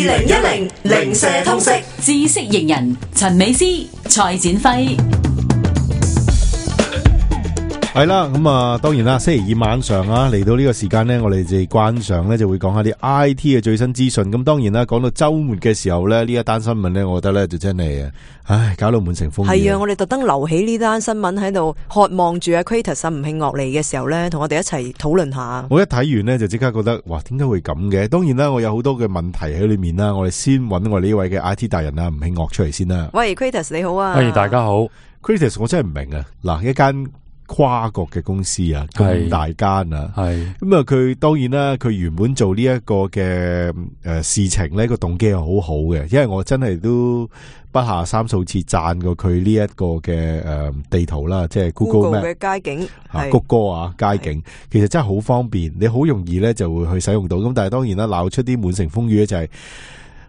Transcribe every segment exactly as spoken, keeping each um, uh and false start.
零一零零舍通識知識型人陳美詩、蔡展輝。係啦，咁啊，當然啦，星期二晚上啊，嚟到呢個時間呢，我哋就慣常呢就會講下啲 I T 嘅最新資訊。咁當然啦，講到周末嘅時候呢，呢一單新聞呢，我覺得呢就真係，唉，搞到滿城風雨。係啊，我哋特登留起呢單新聞喺度，渴望住阿 Kratos 吳慶岳嚟嘅時候呢，同我哋一齊討論下。我一睇完呢，就即刻覺得，哇，點解會咁嘅？當然啦，我有好多嘅問題喺裏面啦。我哋先揾我哋呢位嘅 I T 達人啊，吳慶岳出嚟先啦。喂 ，Kratos 你好啊！喂，大家好。Kratos 我真係唔明啊！嗱，一間跨國嘅公司啊，咁大間啊，係咁啊！佢當然啦，佢原本做呢一個嘅誒事情咧，個動機係好好嘅，因為我真係都不下三數次讚過佢呢一個嘅誒地圖啦，即係 Google 嘅街景啊，谷歌啊街景，其實真係好方便，你好容易咧就會去使用到。咁但係當然啦，鬧出啲滿城風雨咧就係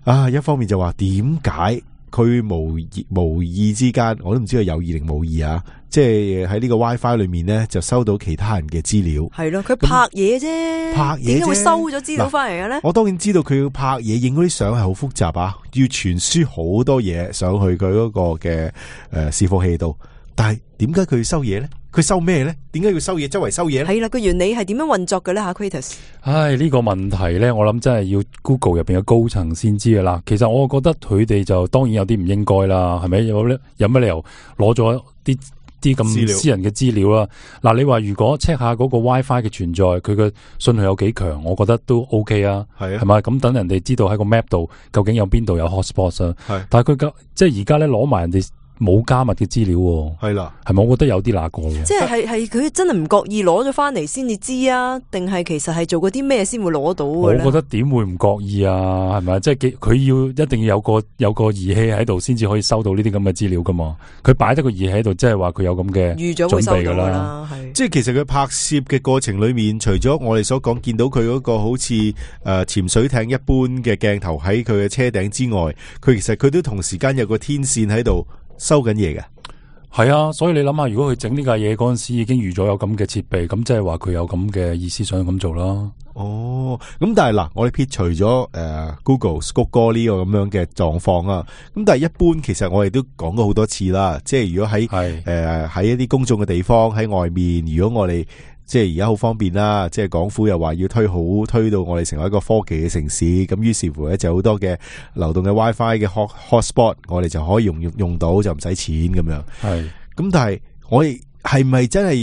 啊，一方面就話點解佢無意無意之間，我都唔知佢有意定冇意啊！即係喺呢個 WiFi 裏面咧，就收到其他人嘅資料。係咯，佢拍嘢啫，拍嘢點解會收咗資料翻嚟嘅咧？我當然知道佢要拍嘢，影嗰啲相係好複雜啊，要傳輸好多嘢上去佢嗰個嘅誒伺服器度。但係點解佢要收嘢咧？佢收咩咧？點解要收嘢？周圍收嘢咧？係啦，個原理係點樣運作嘅咧？吓 Kratos，唉，呢個問題咧，我諗真係要 Google 入邊嘅高層先知噶啦。其實我覺得佢哋就當然有啲唔應該啦，係咪？有有乜理由攞咗啲啲咁私人嘅資料啦？嗱，你話如果 check 下嗰個 WiFi 嘅存在，佢嘅信號有幾強，我覺得都 OK 啊。係啊，係咪？咁等人哋知道喺個 map 度究竟有邊度有 hotspot 啊？係，但係佢即係而家咧攞埋人哋冇加密嘅資料，係啦，係咪？我覺得有啲那個嘅，即係係係佢真係唔覺意攞咗翻嚟先至知啊，定係其實係做過啲咩先會攞到嘅咧？我覺得點會唔覺意啊？係咪？即係佢要一定要有個有個儀器喺度，先至可以收到呢啲咁嘅資料噶嘛？佢擺得個儀器喺度，即係話佢有咁嘅預咗會收到噶啦。即係其實佢拍攝嘅過程裏面，除咗我哋所講見到佢嗰個好似誒潛水艇一般嘅鏡頭喺佢嘅車頂之外，佢其實佢都同時間有個天線喺度收緊嘢嘅。係啊，所以你諗下，如果佢整呢架嘢嗰陣時已經預咗有咁嘅設備，咁即係話佢有咁嘅意思想咁做啦。哦，咁但係嗱，我哋撇除咗誒、呃、Google 谷歌呢個咁樣嘅狀況啊，咁但係一般其實我哋都講過好多次啦，即係如果喺誒喺一啲公眾嘅地方喺外面，如果我哋即係而家好方便啦，即係港府又話要推好推到我哋成為一個科技嘅城市，咁於是乎咧就好多嘅流動嘅 WiFi 嘅 hot hotspot， 我哋就可以用用用到就唔使錢咁樣。係，咁但係我哋係咪真係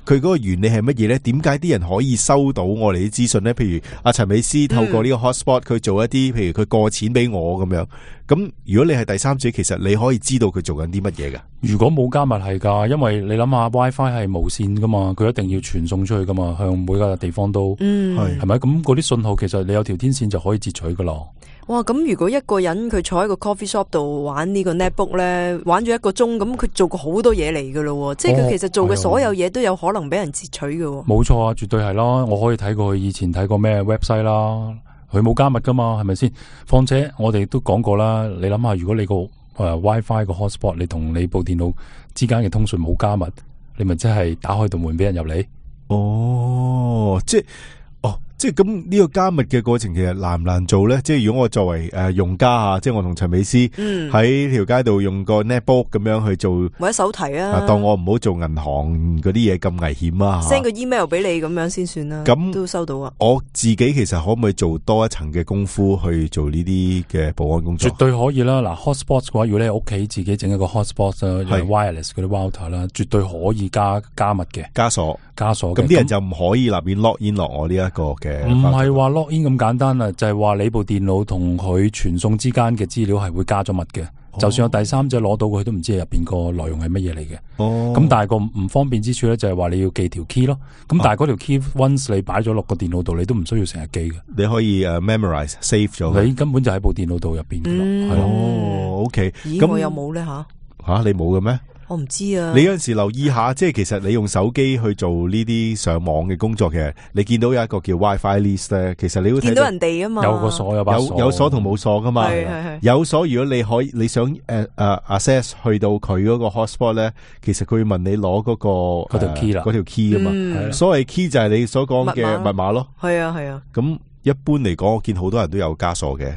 佢嗰個原理係乜嘢咧？點解啲人可以收到我哋啲資訊咧？譬如阿陳美詩透過呢個 hotspot 佢做一啲，譬如佢過錢俾我咁樣。咁如果你係第三者，其實你可以知道佢做緊啲乜嘢噶？如果冇加密係噶，因為你諗下 WiFi 係無線噶嘛，佢一定要傳送出去噶嘛，向每個地方都係係咪？咁嗰啲信號其實你有條天線就可以截取噶啦。哇！咁如果一個人佢坐喺個 coffee shop 度玩呢個 netbook 咧，玩咗一個鐘，咁佢做過好多嘢嚟噶咯，即係佢其實做嘅所有嘢都有可能俾人截取嘅。冇錯啊，絕對係啦，我可以睇過佢以前睇過咩 website 啦，佢冇加密噶嘛，係咪先？況且我哋都講過啦，你諗下，如果你個誒 WiFi 個 hotspot 你同你部電腦之間嘅通訊冇加密，你咪真係打開道門俾人入嚟？哦，即係。即係咁呢個加密嘅過程其實難唔難做咧？即係如果我作為誒、呃、用家啊，即係我同陳美詩喺條街度用個 netbook 咁樣去做，或者手提啊，啊當我唔好做銀行嗰啲嘢咁危險啊 ，send 個 email 俾你咁樣先算啦。咁都收到啊！我自己其實可唔可以做多一層嘅功夫去做呢啲嘅保安工作？絕對可以啦！嗱 ，hotspot 嘅話，如果你喺屋企自己整一個 hotspot 啦，係 wireless 嗰啲 router 啦，絕對可以加加密嘅，加鎖加鎖。咁啲人就唔可以立面 lock in 落我呢一個嘅。唔係話 log in 咁簡單啊，就係、是、話你部電腦同佢傳送之間嘅資料係會加咗密嘅、哦，就算有第三者攞到佢都唔知入邊個內容係乜嘢嚟嘅。哦，咁但係個唔方便之處咧就係話你要記條 key 咯。咁但係嗰條 key once 你擺咗落個電腦度，你都唔需要成日記嘅。你可以誒 memorize save 咗，你根本就喺部電腦度入邊嘅咯。係、嗯、咯。哦 ，OK。咁我有冇咧吓？吓、啊、你冇嘅咩？我唔知啊！你有陣時留意下，即係其實你用手機去做呢啲上網嘅工作嘅，你見到有一個叫 WiFi list 咧，其實你會睇到見到人哋啊嘛，有個鎖有把鎖，有有鎖同冇鎖噶嘛。係係係。有鎖，如果你可以你想誒誒、uh, access 去到佢嗰個 hotspot 咧，其實佢會問你攞嗰、嗰個嗰條 key 啦，嗰條 key 啊嘛。嗯、所謂 key 就係你所講嘅密碼咯。係啊係啊。咁一般嚟講，我見好多人都有加鎖嘅。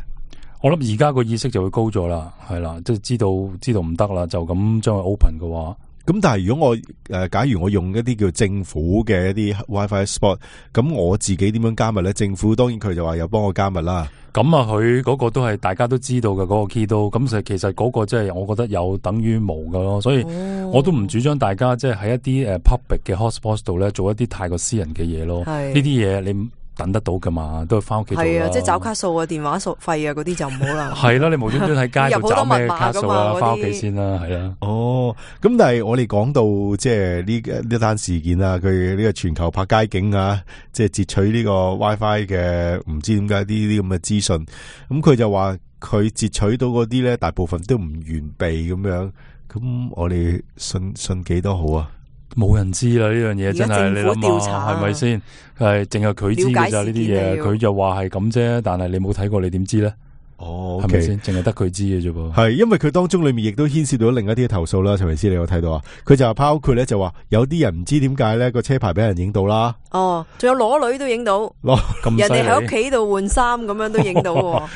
我諗而家個意識就會高咗啦，係啦，即係知道知道唔得啦，就咁將佢 open 嘅話。咁但係如果我誒、呃，假如我用一啲叫政府嘅一啲 WiFi spot，咁我自己點樣加密咧？政府當然佢就話有幫我加密啦。咁啊，佢嗰個都係大家都知道嘅嗰、嗰個 key 都，咁其實嗰個即係我覺得有等於冇㗎咯，所以我都唔主張大家即係喺一啲誒 public 嘅 hotspot 度咧做一啲太過私人嘅嘢咯。呢啲嘢你等得到噶嘛，都係翻屋企做啦。係啊，即係找卡數啊、電話數費啊嗰啲就唔好啦。係啦，你無端端喺街度找咩卡數啊？翻屋企先啦，係啦。哦，咁但係我哋講到即係呢呢單事件啊，佢呢個全球拍街景啊，即係截取呢個 WiFi 嘅，唔知點解呢啲咁嘅資訊。咁佢就話佢截取到嗰啲咧，大部分都唔完備咁樣。咁我哋信信幾多好啊？冇人知啦，呢樣嘢真係你諗下係咪先？係淨係佢知嘅咋呢啲嘢，佢就話係咁啫。但係你冇睇過，你點知咧？哦，係咪先？淨係得佢知嘅啫噃。係因為佢當中裏面亦都牽涉到另一啲投訴啦。陳維斯，你有睇到啊？佢就包括咧，就話有啲人唔知點解咧個車牌俾人影到啦。哦，仲有裸女都影到，攞咁人哋喺屋企度換衫咁樣都影到。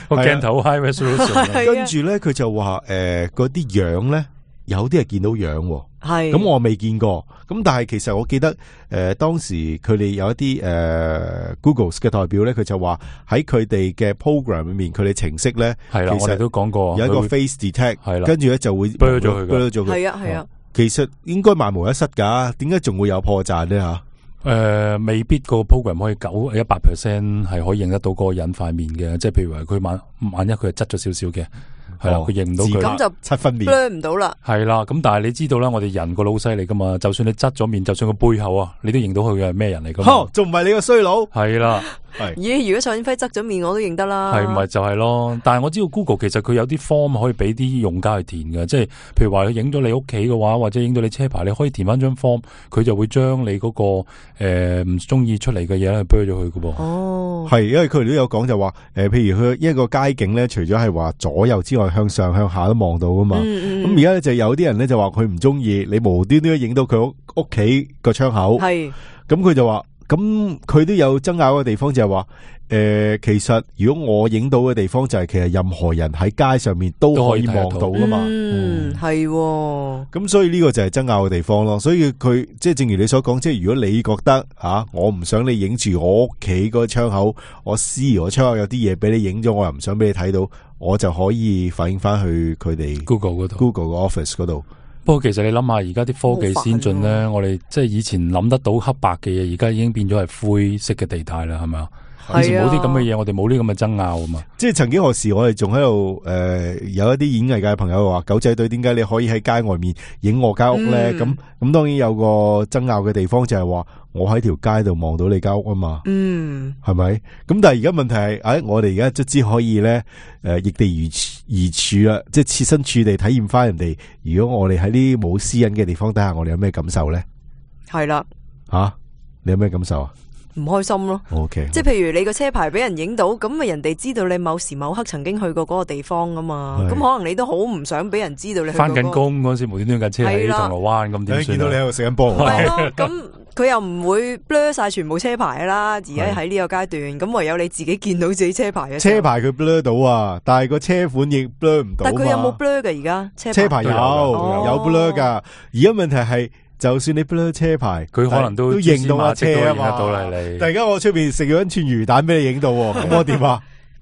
個鏡頭 high resolution。跟住咧，佢就話誒，嗰啲樣咧，有啲係見到樣。係咁我未見過，咁但係其實我記得誒、呃、當時佢哋有一啲誒、呃、Google 嘅代表咧，佢就話喺佢哋嘅 program 裏面，佢哋程式咧係啦，我哋都講過有一個 face detect，係啦，跟住咧就會 blur 咗佢嘅，係啊係啊，其實應該萬無一失噶，點解仲會有破綻咧吓？誒、呃，未必個 program 可以九一百 percent 係可以認得到嗰個人塊面嘅，即係譬如話佢萬萬一佢係側咗少少嘅。係啦，佢認唔到佢，咁就七分面 blur 唔到啦。係啦，咁但係你知道啦，我哋人個老細嚟噶嘛，就算你側咗面，就算個背後啊，你都認到佢嘅係咩人嚟噶嘛？仲唔係你個衰佬？係啦，係咦？如果蔡展輝側咗面，我都認得啦。係咪就係咯？但係我知道 Google 其實佢有啲 form 可以俾啲用家去填嘅，即係譬如話佢影咗你屋企嘅話，或者影到你車牌，你可以填翻張 form，佢就會將你嗰、那個誒唔中意出嚟嘅嘢去 blur 咗佢噶噃。哦，係，因為佢哋都有講就話，誒、呃，譬如佢一個街景咧，除咗係話左右之外，向上向下都望到噶嘛。咁而家咧就有啲人咧就話佢唔中意你無端端影到佢屋屋企個窗口。係，咁佢就話，咁佢都有爭拗嘅地方就係話，誒、呃，其實如果我影到嘅地方就係其實任何人喺街上面都可以望到噶嘛。嗯，係、哦。咁所以呢個就係爭拗嘅地方咯。所以佢即係正如你所講，即係如果你覺得啊，我唔想你影住我屋企個窗口，我私我窗口有啲嘢俾你影咗，我又唔想俾你睇到，我就可以反映翻去佢哋 Google 嗰度 ，Google 個 office 嗰度。不過其實你諗下，而家啲科技先進咧，我哋即係以前諗得到黑白嘅嘢，而家已經變咗係灰色嘅地帶啦，係咪啊？以前冇啲咁嘅嘢，我哋冇呢咁嘅爭拗啊嘛。即係曾經何時，我哋仲喺度誒，有一啲演藝界嘅朋友話，狗仔隊點解你可以喺街外面影我間屋咧？咁、嗯、咁當然有個爭拗嘅地方就係話，我喺條街度望到你間屋啊嘛。嗯，係咪？咁但係而家問題係，誒、哎，我哋而家卒之可以咧，誒、呃，易地而而處啦，即係設身處地體驗翻人哋。如果我哋喺呢啲冇私隱嘅地方底下，我哋有咩感受咧？係啦，吓、啊，你有咩感受啊？唔開心咯 ，OK，即係譬如你個車牌俾人影到，咁咪人哋知道你某時某刻曾經去過嗰個地方啊嘛，咁可能你都好唔想俾人知道你去過、嗰個。翻緊工嗰時無端端架車喺銅鑼灣咁點算？見到你喺度食緊波，係咯，咁佢又唔會 blur 晒全部車牌啦。而家喺呢個階段，咁唯有你自己見到自己車牌嘅。車牌佢 blur 到啊，但係個車款亦 blur 唔到。但係佢有冇 blur 嘅而家？車牌有、哦、有 blur 噶，而家問題係。就算你 blur 車牌，佢可能都認到架車啊嘛。突然間我出邊食咗一串魚蛋俾你影到，咁我點啊？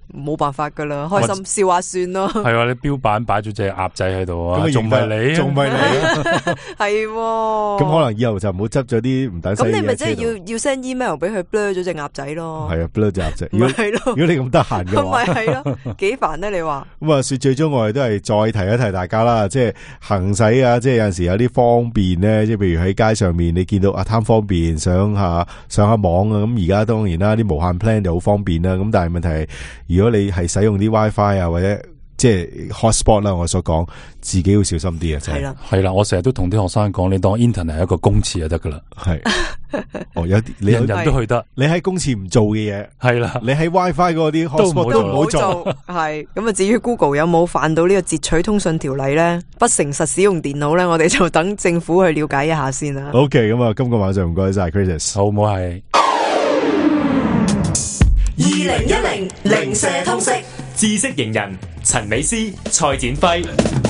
冇辦法噶啦，開心笑下算咯。係啊，你標板擺咗隻鴨仔喺度啊，仲唔係你？仲唔係你？係，咁可能以後就唔好執咗啲唔抵死嘅嘢。咁你咪即係要要 send email 俾佢 blur 咗隻鴨仔咯。係啊 blur 隻鴨仔。如果係咯，如果你咁得閒嘅話，咁咪係咯，幾煩咧？你話咁啊？說最終我哋都係再提一提大家啦，即係行駛啊，即係有陣時有啲方便咧，即係譬如喺街上面你見到啊貪方便，上下上下網啊，咁而家當然啦，啲無限 plan 就好方便啦。咁但係問題係，如果你係使用啲 WiFi 啊，或者即係 hotspot 啦，我所講自己要小心啲啊，係啦，係啦，我成日都同啲學生講，你當 internet 係一個公廁就得噶啦，係，哦，有啲你人人都去得，你喺公廁唔做嘅嘢，係啦，你喺 WiFi 嗰啲 hotspot 都唔好做，係，咁啊，至於 Google 有冇犯到呢個截取通訊條例咧，不誠實使用電腦咧，我哋就等政府去了解一下先啦。OK，咁啊，今個晚上唔該晒 Chris，好唔好係？二零一零零舍通識知識型人陳美斯、蔡展輝。